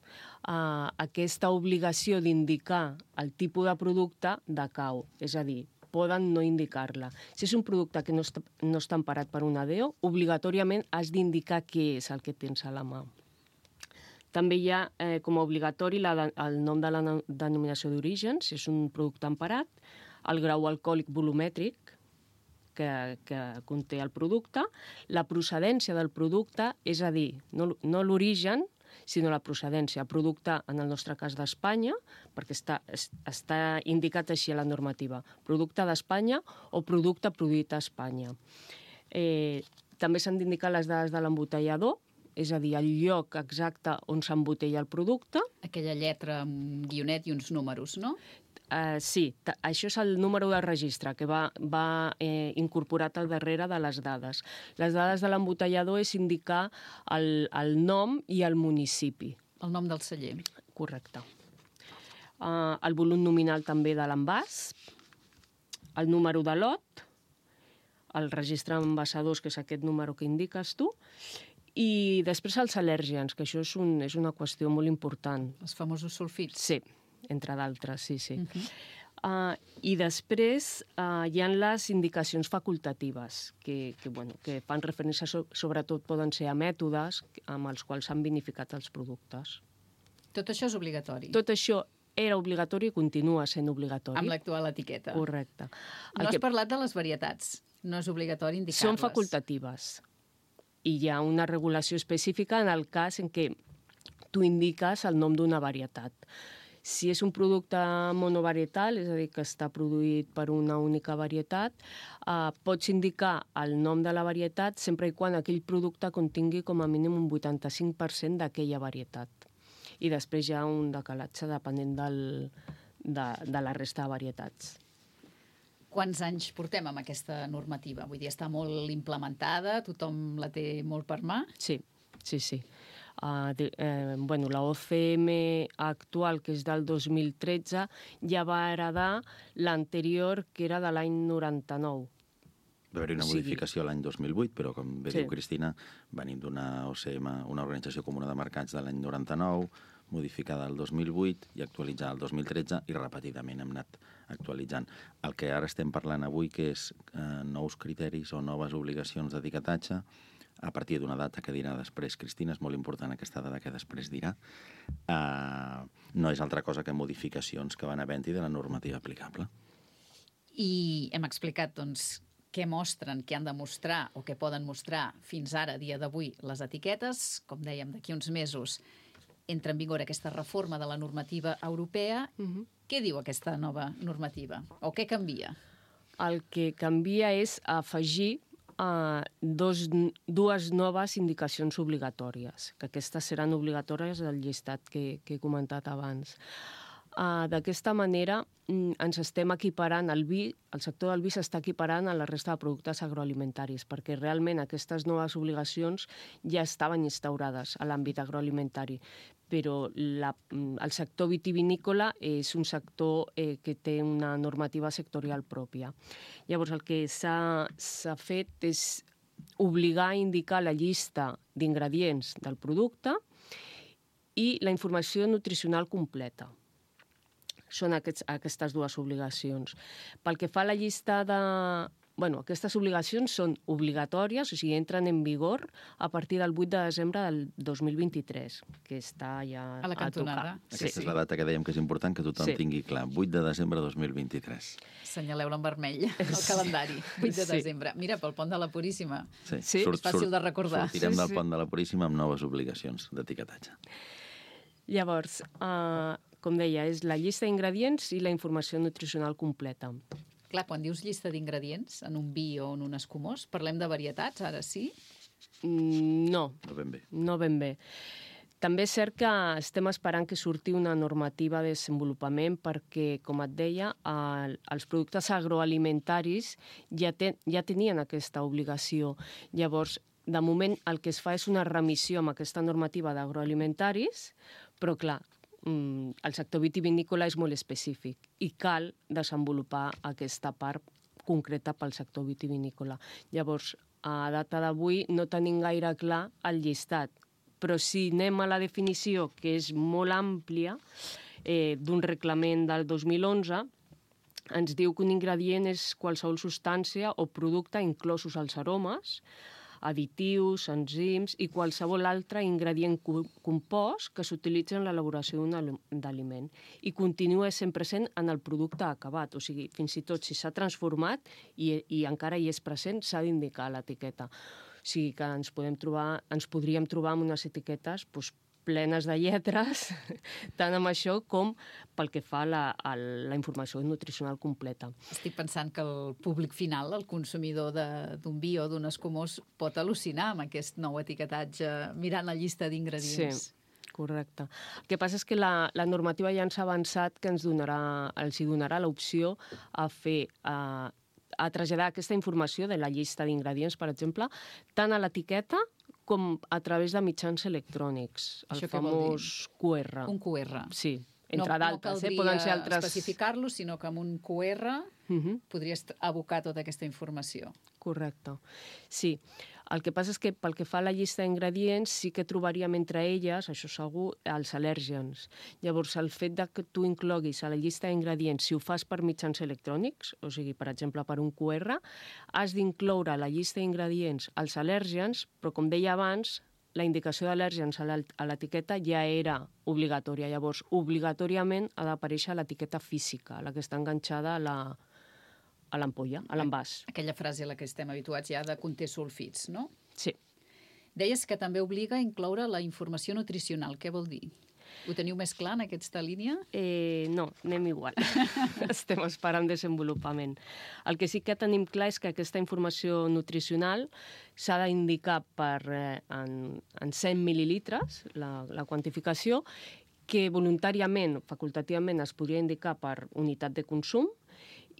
eh, aquesta obligació d'indicar el tipus de producte decau, és a dir, poden no indicar-la. Si és un producte que no està, no està emparat per una D E O, obligatòriament has d'indicar què és el que tens a la mà. També hi ha eh, com a obligatori la, el nom de la denominació d'origen, si és un producte emparat, el grau alcohòlic volumètric, Que, que conté el producte, la procedència del producte, és a dir, no, no l'origen, sinó la procedència. Producte, en el nostre cas d'Espanya, perquè està, està indicat així a la normativa, producte d'Espanya o producte produït a Espanya. Eh, també s'han d'indicar les dades de l'embotellador, és a dir, el lloc exacte on s'embotella el producte. Aquella lletra amb un guionet i uns números, no? Uh, sí, això és el número de registre que va, va eh, incorporat al darrere de les dades. Les dades de l'embotellador és indicar el, el nom i el municipi. El nom del celler. Correcte. Uh, el volum nominal també de l'envàs, el número de lot, el registre d'envasadors, que és aquest número que indiques tu, i després els al·lèrgens, que això és, un, és una qüestió molt important. Els famosos sulfits. Sí, entre d'altres, sí, sí. Uh-huh. uh, I després uh, hi ha les indicacions facultatives, que, que, bueno, que fan referència, so, sobretot poden ser a mètodes amb els quals s'han vinificat els productes. Tot això és obligatori? Tot això era obligatori i continua sent obligatori. Amb l'actual etiqueta. Correcte. No has que... parlat de les varietats. No és obligatori indicar-les. Són facultatives. I hi ha una regulació específica en el cas en què tu indiques el nom d'una varietat. Si és un producte monovarietal, és a dir, que està produït per una única varietat, eh, pots indicar el nom de la varietat sempre i quan aquell producte contingui com a mínim un vuitanta-cinc per cent d'aquella varietat. I després hi ha un decalatge depenent del, de, de la resta de varietats. Quants anys portem amb aquesta normativa? Vull dir, està molt implementada, tothom la té molt per mà? Sí, sí, sí. Uh, de, eh, bueno, la O C M actual, que és del dos mil tretze, ja va heredar l'anterior, que era de l'any noranta-nou. Va haver-hi una modificació l'any dos mil vuit, però com bé Sí. diu Cristina, venim d'una O C M, una organització comuna de mercats de l'any noranta-nou, modificada el dos mil vuit i actualitzada el dos mil tretze, i repetidament hem anat actualitzant. El que ara estem parlant avui, que és eh, nous criteris o noves obligacions d'etiquetatge, a partir d'una data que dirà després Cristina, és molt important aquesta data que després dirà, eh, no és altra cosa que modificacions que van havent-hi de la normativa aplicable. I hem explicat, doncs, què mostren, què han de mostrar o què poden mostrar fins ara, dia d'avui, les etiquetes. Com dèiem, d'aquí uns mesos entra en vigor aquesta reforma de la normativa europea. Uh-huh. Què diu aquesta nova normativa? O què canvia? El que canvia és afegir uh, dos, dues noves indicacions obligatòries, que aquestes seran obligatòries del llistat que, que he comentat abans. Uh, D'aquesta manera mm, ens estem equiparant, el vi, el sector del vi s'està equiparant a la resta de productes agroalimentaris, perquè realment aquestes noves obligacions ja estaven instaurades a l'àmbit agroalimentari, però la, el sector vitivinícola és un sector eh, que té una normativa sectorial pròpia. Llavors, el que s'ha s'ha fet és obligar a indicar la llista d'ingredients del producte i la informació nutricional completa. Són aquests, aquestes dues obligacions. Pel que fa a la llista de... Bueno, aquestes obligacions són obligatòries, o sigui, entren en vigor a partir del vuit de desembre del dos mil vint-i-tres, que està ja a la cantonada. A Aquesta sí. és la data que dèiem que és important que tothom sí. tingui clar. vuit de desembre de dos mil vint-i-tres. Assenyaleu-la en vermell, el calendari. vuit de desembre. Mira, pel pont de la Puríssima. Sí, sí? Surt, és fàcil surt, de recordar. Sortirem sí, del sí. pont de la Puríssima amb noves obligacions d'etiquetatge. Llavors, uh, com deia, és la llista d'ingredients i la informació nutricional completa. Clar, quan dius llista d'ingredients en un vi o en un escumós, parlem de varietats, ara sí? Mm, no. No ben bé. No ben bé. També és cert que estem esperant que surti una normativa de desenvolupament perquè, com et deia, el, els productes agroalimentaris ja, ten, ja tenien aquesta obligació. Llavors, de moment, el que es fa és una remissió amb aquesta normativa d'agroalimentaris, però, clar, el sector vitivinícola és molt específic i cal desenvolupar aquesta part concreta pel sector vitivinícola. Llavors, a data d'avui no tenim gaire clar el llistat, però si anem a la definició, que és molt àmplia, eh, d'un reglament del dos mil onze, ens diu que un ingredient és qualsevol substància o producte, inclosos els aromes, additius, enzims i qualsevol altre ingredient compost que s'utilitza en l'elaboració d'un aliment i continua sent present en el producte acabat. O sigui, fins i tot si s'ha transformat i, i encara hi és present, s'ha d'indicar a l'etiqueta. O sigui que ens, podem trobar, ens podríem trobar amb unes etiquetes doncs, plenes de lletres, tant amb això com pel que fa a la, a la informació nutricional completa. Estic pensant que el públic final, el consumidor d'un vi o d'un escumós, pot al·lucinar amb aquest nou etiquetatge mirant la llista d'ingredients. Sí, correcte. El que passa és que la, la normativa ja ens ha avançat que ens donarà, els hi donarà l'opció a fer... A, a traslladar aquesta informació de la llista d'ingredients, per exemple, tant a l'etiqueta com a través de mitjans electrònics, el Això famós Q R. Un Q R. Sí, entre no, d'altres. No eh? Poden ser caldria altres... especificar-lo, sinó que amb un Q R uh -huh. podries abocar tota aquesta informació. Correcte. Sí. El que passa és que pel que fa a la llista d'ingredients sí que trobaríem entre elles, això segur, els al·lèrgens. Llavors, el fet de que tu incloguis a la llista d'ingredients, si ho fas per mitjans electrònics, o sigui, per exemple, per un Q R, has d'incloure a la llista d'ingredients els al·lèrgens, però com deia abans, la indicació d'al·lèrgens a l'etiqueta ja era obligatòria. Llavors, obligatòriament ha d'aparèixer l'etiqueta física, la que està enganxada a la a l'ampolla, a l'envàs. Aquella frase a la que estem habituats ja de conté sulfits, no? Sí. Deies que també obliga a incloure la informació nutricional. Què vol dir? Ho teniu més clar en aquesta línia? Eh, no, anem igual. Estem esperant desenvolupament. El que sí que tenim clar és que aquesta informació nutricional s'ha d'indicar per, eh, en, en cent mil·lilitres, la, la quantificació, que voluntàriament, facultativament, es podria indicar per unitat de consum,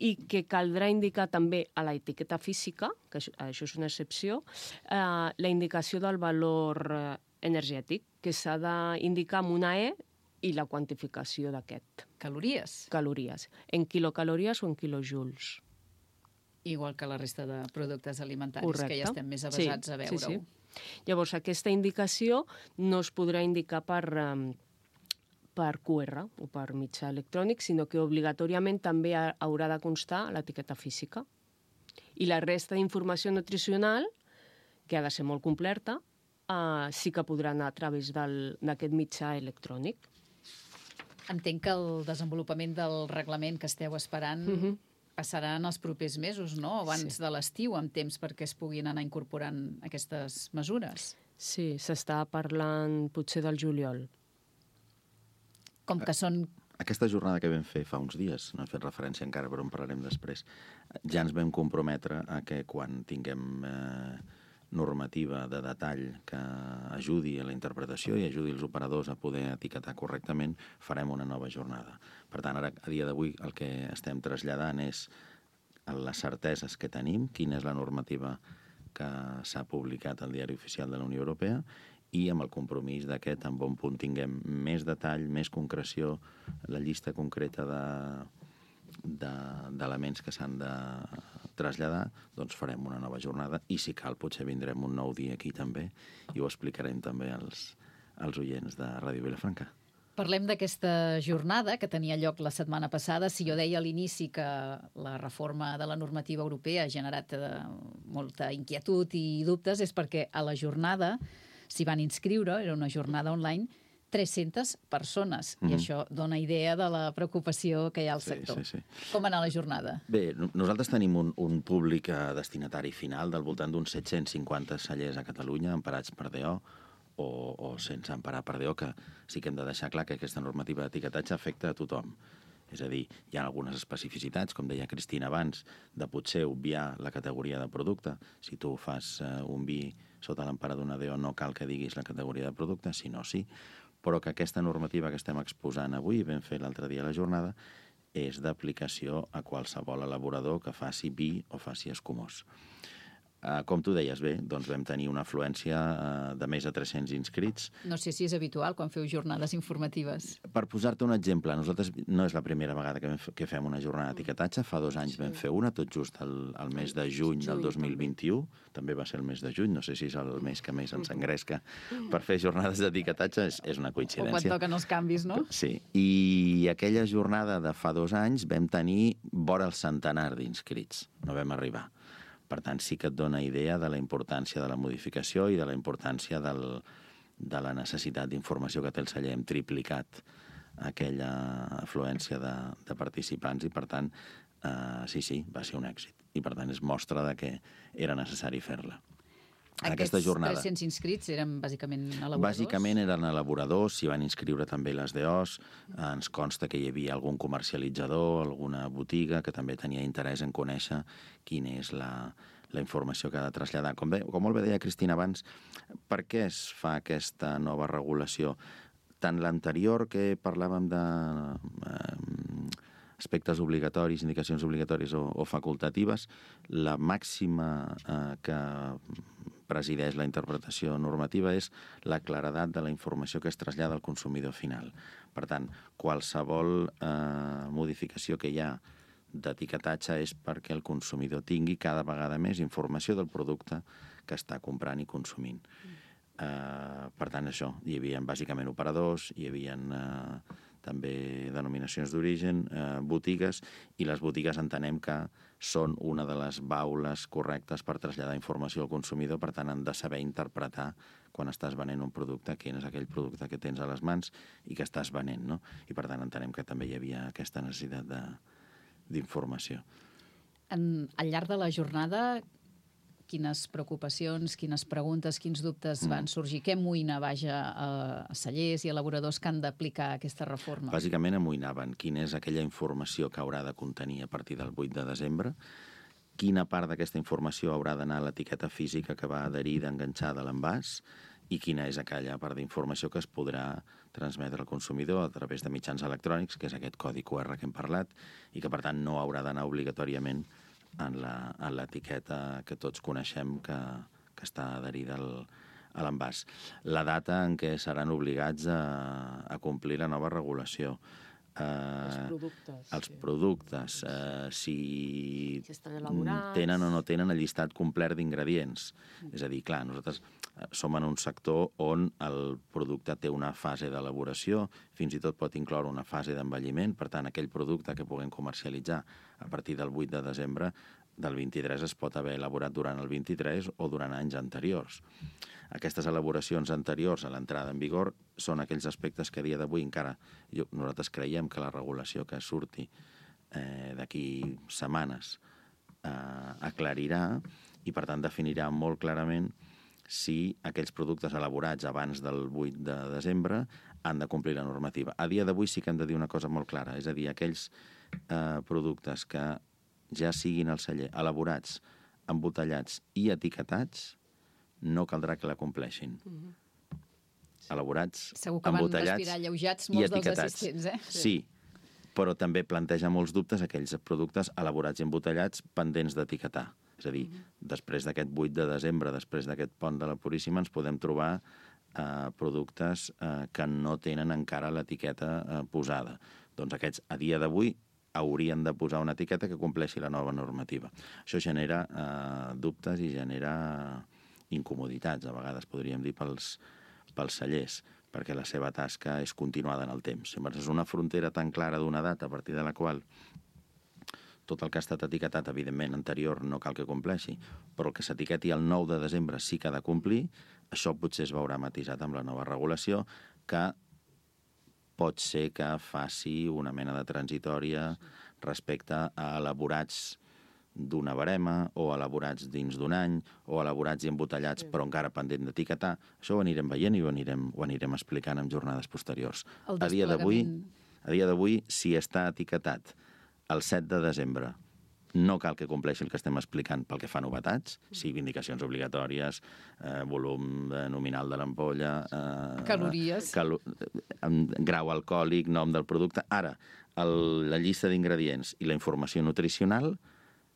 i que caldrà indicar també a l'etiqueta física, que això, això és una excepció, eh, la indicació del valor eh, energètic, que s'ha d'indicar amb una E i la quantificació d'aquest. Calories? Calories. En quilocalories o en quilojoules. Igual que la resta de productes alimentaris, Correcte. que ja estem més avesats sí, a veure-ho. Sí, sí. Llavors, aquesta indicació no es podrà indicar per... Eh, per Q R o per mitjà elèctrònic, sinó que obligatòriament també haurà de constar l'etiqueta física. I la resta d'informació nutricional, que ha de ser molt completa, eh, sí que podrà anar a través d'aquest mitjà electrònic. Entenc que el desenvolupament del reglament que esteu esperant uh-huh. passarà en els propers mesos, no? Abans sí. de l'estiu, amb temps perquè es puguin anar incorporant aquestes mesures. Sí, s'està parlant potser del juliol. Com que són... Aquesta jornada que vam fer fa uns dies, no he fet referència encara, però en parlarem després, ja ens vam comprometre a que quan tinguem eh, normativa de detall que ajudi a la interpretació i ajudi els operadors a poder etiquetar correctament, farem una nova jornada. Per tant, ara, a dia d'avui, el que estem traslladant és les certeses que tenim, quina és la normativa que s'ha publicat al Diari Oficial de la Unió Europea, i amb el compromís de que tan bon punt tinguem més detall, més concreció, la llista concreta d'elements de, que s'han de traslladar, doncs farem una nova jornada i si cal potser vindrem un nou dia aquí també i ho explicarem també als, als oients de Ràdio Vilafranca. Parlem d'aquesta jornada que tenia lloc la setmana passada. Si jo deia a l'inici que la reforma de la normativa europea ha generat molta inquietud i dubtes, és perquè a la jornada s'hi van inscriure, era una jornada online, tres-centes persones. Mm-hmm. I això dona idea de la preocupació que hi ha al sí, sector. Sí, sí. Com anar a la jornada? Bé, nosaltres tenim un, un públic destinatari final del voltant d'uns set-cents cinquanta cellers a Catalunya, emparats per D O o, o sense emparar per D O, que sí que hem de deixar clar que aquesta normativa d'etiquetatge afecta a tothom. És a dir, hi ha algunes especificitats, com deia Cristina abans, de potser obviar la categoria de producte. Si tu fas uh, un vi sota l'empara d'una D O, no cal que diguis la categoria de producte, sinó sí. Però que aquesta normativa que estem exposant avui, vam fer l'altre dia a la jornada, és d'aplicació a qualsevol elaborador que faci vi o faci escumós. Uh, com tu deies bé, doncs vam tenir una afluència uh, de més de tres-cents inscrits. No sé si és habitual quan feu jornades informatives. Per posar-te un exemple, nosaltres no és la primera vegada que, que fem una jornada d'etiquetatge, fa dos anys sí. vam fer una, tot just el, el mes de juny del dos mil vint-i-u, també va ser el mes de juny, no sé si és el mes que més ens engresca per fer jornades d'etiquetatge, és, és una coincidència. O quan toquen els canvis, no? Sí, i aquella jornada de fa dos anys vam tenir vora el centenar d'inscrits, no vam arribar. Per tant, sí que et dona idea de la importància de la modificació i de la importància del, de la necessitat d'informació que té el celler. Hem triplicat aquella afluència de, de participants i, per tant, eh, sí, sí, va ser un èxit. I, per tant, és mostra de que era necessari fer-la. aquesta jornada. Aquests tres-cents inscrits eren bàsicament elaboradors? Bàsicament eren elaboradors, s'hi van inscriure també les D Os, ens consta que hi havia algun comercialitzador, alguna botiga que també tenia interès en conèixer quina és la, la informació que ha de traslladar. Com, bé, com molt bé deia Cristina abans, per què es fa aquesta nova regulació? Tant l'anterior, que parlàvem de eh, aspectes obligatoris, indicacions obligatòries o, o facultatives, la màxima eh, que presideix la interpretació normativa és la claredat de la informació que es trasllada al consumidor final. Per tant, qualsevol eh, modificació que hi ha d'etiquetatge és perquè el consumidor tingui cada vegada més informació del producte que està comprant i consumint. Uh, per tant, això, hi havia bàsicament operadors, hi havia uh, també denominacions d'origen, uh, botigues, i les botigues entenem que són una de les baules correctes per traslladar informació al consumidor, per tant, han de saber interpretar quan estàs venent un producte, quin és aquell producte que tens a les mans i que estàs venent, no? I per tant, entenem que també hi havia aquesta necessitat de, d'informació. En, al llarg de la jornada, quines preocupacions, quines preguntes, quins dubtes van sorgir? Què amoïna, vaja, a cellers i elaboradors que han d'aplicar aquesta reforma? Bàsicament amoïnaven quina és aquella informació que haurà de contenir a partir del vuit de desembre, quina part d'aquesta informació haurà d'anar a l'etiqueta física que va adherida, enganxada a l'envàs, i quina és aquella part d'informació que es podrà transmetre al consumidor a través de mitjans electrònics, que és aquest codi Q R que hem parlat, i que, per tant, no haurà d'anar obligatòriament en l'etiqueta que tots coneixem que, que està adherida al, a l'envàs. La data en què seran obligats a, a complir la nova regulació. Eh, els productes. Els productes, eh, si, si estan elaborats, tenen o no tenen el llistat complet d'ingredients. Mm. És a dir, clar, nosaltres som en un sector on el producte té una fase d'elaboració, fins i tot pot incloure una fase d'envelliment, per tant, aquell producte que puguem comercialitzar a partir del vuit de desembre del vint-i-tres es pot haver elaborat durant el vint-i-tres o durant anys anteriors. Aquestes elaboracions anteriors a l'entrada en vigor són aquells aspectes que a dia d'avui encara jo, nosaltres creiem que la regulació que surti eh, d'aquí setmanes eh, aclarirà i, per tant, definirà molt clarament si aquells productes elaborats abans del vuit de desembre han de complir la normativa. A dia d'avui sí que hem de dir una cosa molt clara, és a dir, aquells eh, productes que ja siguin al celler elaborats, embotellats i etiquetats, no caldrà que la compleixin. Mm-hmm. Elaborats, segur que embotellats van respirar alleujats i molts dels etiquetats. assistents, eh? Sí, però també planteja molts dubtes aquells productes elaborats i embotellats pendents d'etiquetar. És a dir, mm-hmm. després d'aquest vuit de desembre, després d'aquest pont de la Puríssima, ens podem trobar eh, productes eh, que no tenen encara l'etiqueta eh, posada. Doncs aquests, a dia d'avui, haurien de posar una etiqueta que compleixi la nova normativa. Això genera eh, dubtes i genera incomoditats, a vegades podríem dir, pels, pels cellers, perquè la seva tasca és continuada en el temps. Llavors, és una frontera tan clara d'una data a partir de la qual tot el que ha estat etiquetat, evidentment, anterior no cal que compleixi, però el que s'etiqueti el nou de desembre sí que ha de complir. Això potser es veurà matisat amb la nova regulació, que pot ser que faci una mena de transitòria respecte a elaborats d'una barema o elaborats dins d'un any o elaborats i embotellats però encara pendent d'etiquetar. Això ho anirem veient i ho anirem, ho anirem explicant en jornades posteriors. A dia d'avui, a dia d'avui, si està etiquetat el set de desembre, no cal que compleixi el que estem explicant pel que fa a novetats, sigui indicacions obligatòries, eh, volum nominal de l'ampolla, eh, calories, calo grau alcohòlic, nom del producte. Ara, el, la llista d'ingredients i la informació nutricional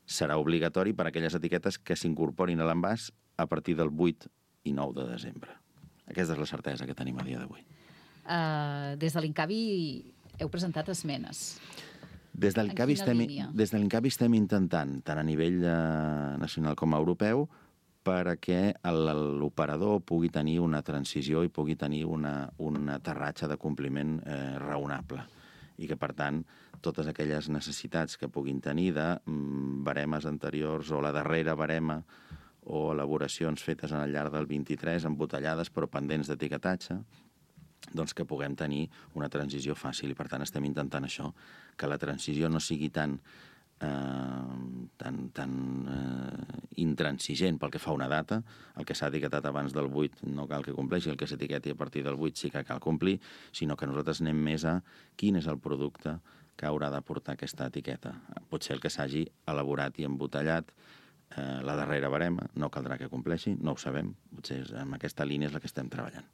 serà obligatori per a aquelles etiquetes que s'incorporin a l'envàs a partir del vuit i nou de desembre. Aquesta és la certesa que tenim a dia d'avui. Uh, des de l'Incavi heu presentat esmenes. Des de l'Incavi estem, des de l'Incavi estem intentant, tant a nivell eh, nacional com europeu, perquè l'operador pugui tenir una transició i pugui tenir una, un aterratge de compliment eh, raonable. I que, per tant, totes aquelles necessitats que puguin tenir de mm, baremes anteriors o la darrera barema o elaboracions fetes al llarg del vint-i-tres, embotellades però pendents d'etiquetatge, doncs que puguem tenir una transició fàcil. I, per tant, estem intentant això, que la transició no sigui tant eh, tan, tan eh, intransigent pel que fa a una data. El que s'ha etiquetat abans del vuit no cal que compleixi, el que s'etiqueti a partir del vuit sí que cal complir, sinó que nosaltres anem més a quin és el producte que haurà de portar aquesta etiqueta. Potser el que s'hagi elaborat i embotellat eh, la darrera barema no caldrà que compleixi, no ho sabem, potser en aquesta línia és la que estem treballant.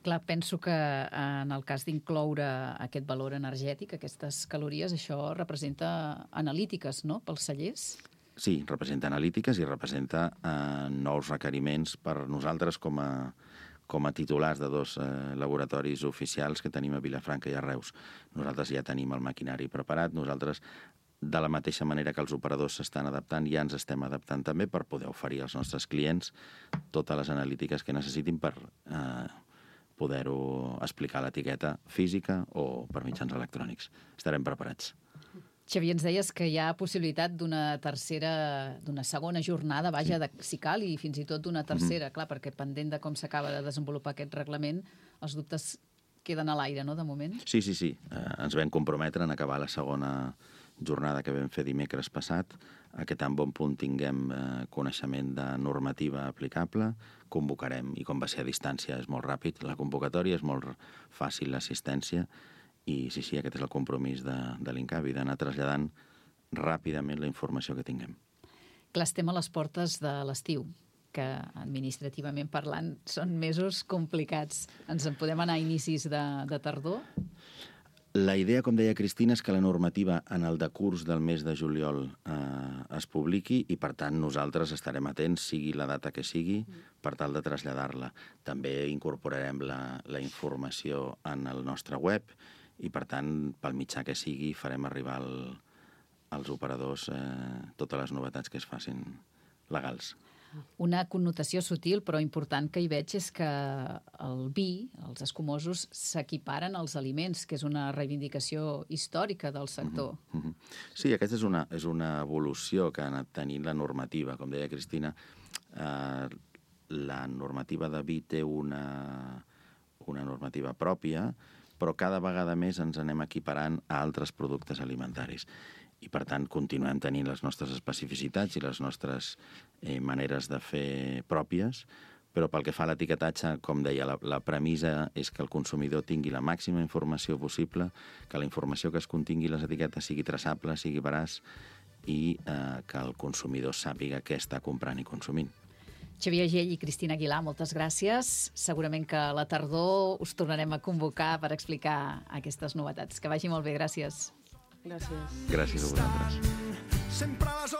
Clar, penso que en el cas d'incloure aquest valor energètic, aquestes calories, això representa analítiques, no?, pels cellers? Sí, representa analítiques i representa eh, nous requeriments per nosaltres com a, com a titulars de dos eh, laboratoris oficials que tenim a Vilafranca i a Reus. Nosaltres ja tenim el maquinari preparat, nosaltres, de la mateixa manera que els operadors s'estan adaptant, ja ens estem adaptant també per poder oferir als nostres clients totes les analítiques que necessitin per eh, poder-ho explicar a l'etiqueta física o per mitjans electrònics. Estarem preparats. Xavier, ens deies que hi ha possibilitat d'una tercera, d'una segona jornada, vaja, de, si cal, i fins i tot d'una tercera, mm-hmm. clar, perquè pendent de com s'acaba de desenvolupar aquest reglament, els dubtes queden a l'aire, no?, de moment? Sí, sí, sí. Eh, ens vam comprometre en acabar la segona jornada que vam fer dimecres passat, a que tan bon punt tinguem eh, coneixement de normativa aplicable, convocarem, i com va ser a distància és molt ràpid, la convocatòria és molt fàcil l'assistència, i sí, sí, aquest és el compromís de, de l'Incavi, d'anar traslladant ràpidament la informació que tinguem. Clar, estem a les portes de l'estiu, que administrativament parlant són mesos complicats. Ens en podem anar a inicis de, de tardor? La idea, com deia Cristina, és que la normativa en el decurs del mes de juliol eh, es publiqui i, per tant, nosaltres estarem atents, sigui la data que sigui, per tal de traslladar-la. També incorporarem la, la informació en el nostre web i, per tant, pel mitjà que sigui, farem arribar al, als operadors eh, totes les novetats que es facin legals. Una connotació sutil però important que hi veig és que el vi, els escumosos, s'equiparen als aliments, que és una reivindicació històrica del sector. Mm-hmm. Sí, aquesta és una, és una evolució que ha anat tenint la normativa. Com deia Cristina, eh, la normativa de vi té una, una normativa pròpia, però cada vegada més ens anem equiparant a altres productes alimentaris. I, per tant, continuem tenint les nostres especificitats i les nostres eh, maneres de fer pròpies, però pel que fa a l'etiquetatge, com deia, la, la premissa és que el consumidor tingui la màxima informació possible, que la informació que es contingui a les etiquetes sigui traçable, sigui veraç, i eh, que el consumidor sàpiga què està comprant i consumint. Xavier Agell i Cristina Aguilar, moltes gràcies. Segurament que a la tardor us tornarem a convocar per explicar aquestes novetats. Que vagi molt bé, gràcies. Gràcies. Gràcies a vosaltres. Sempre a les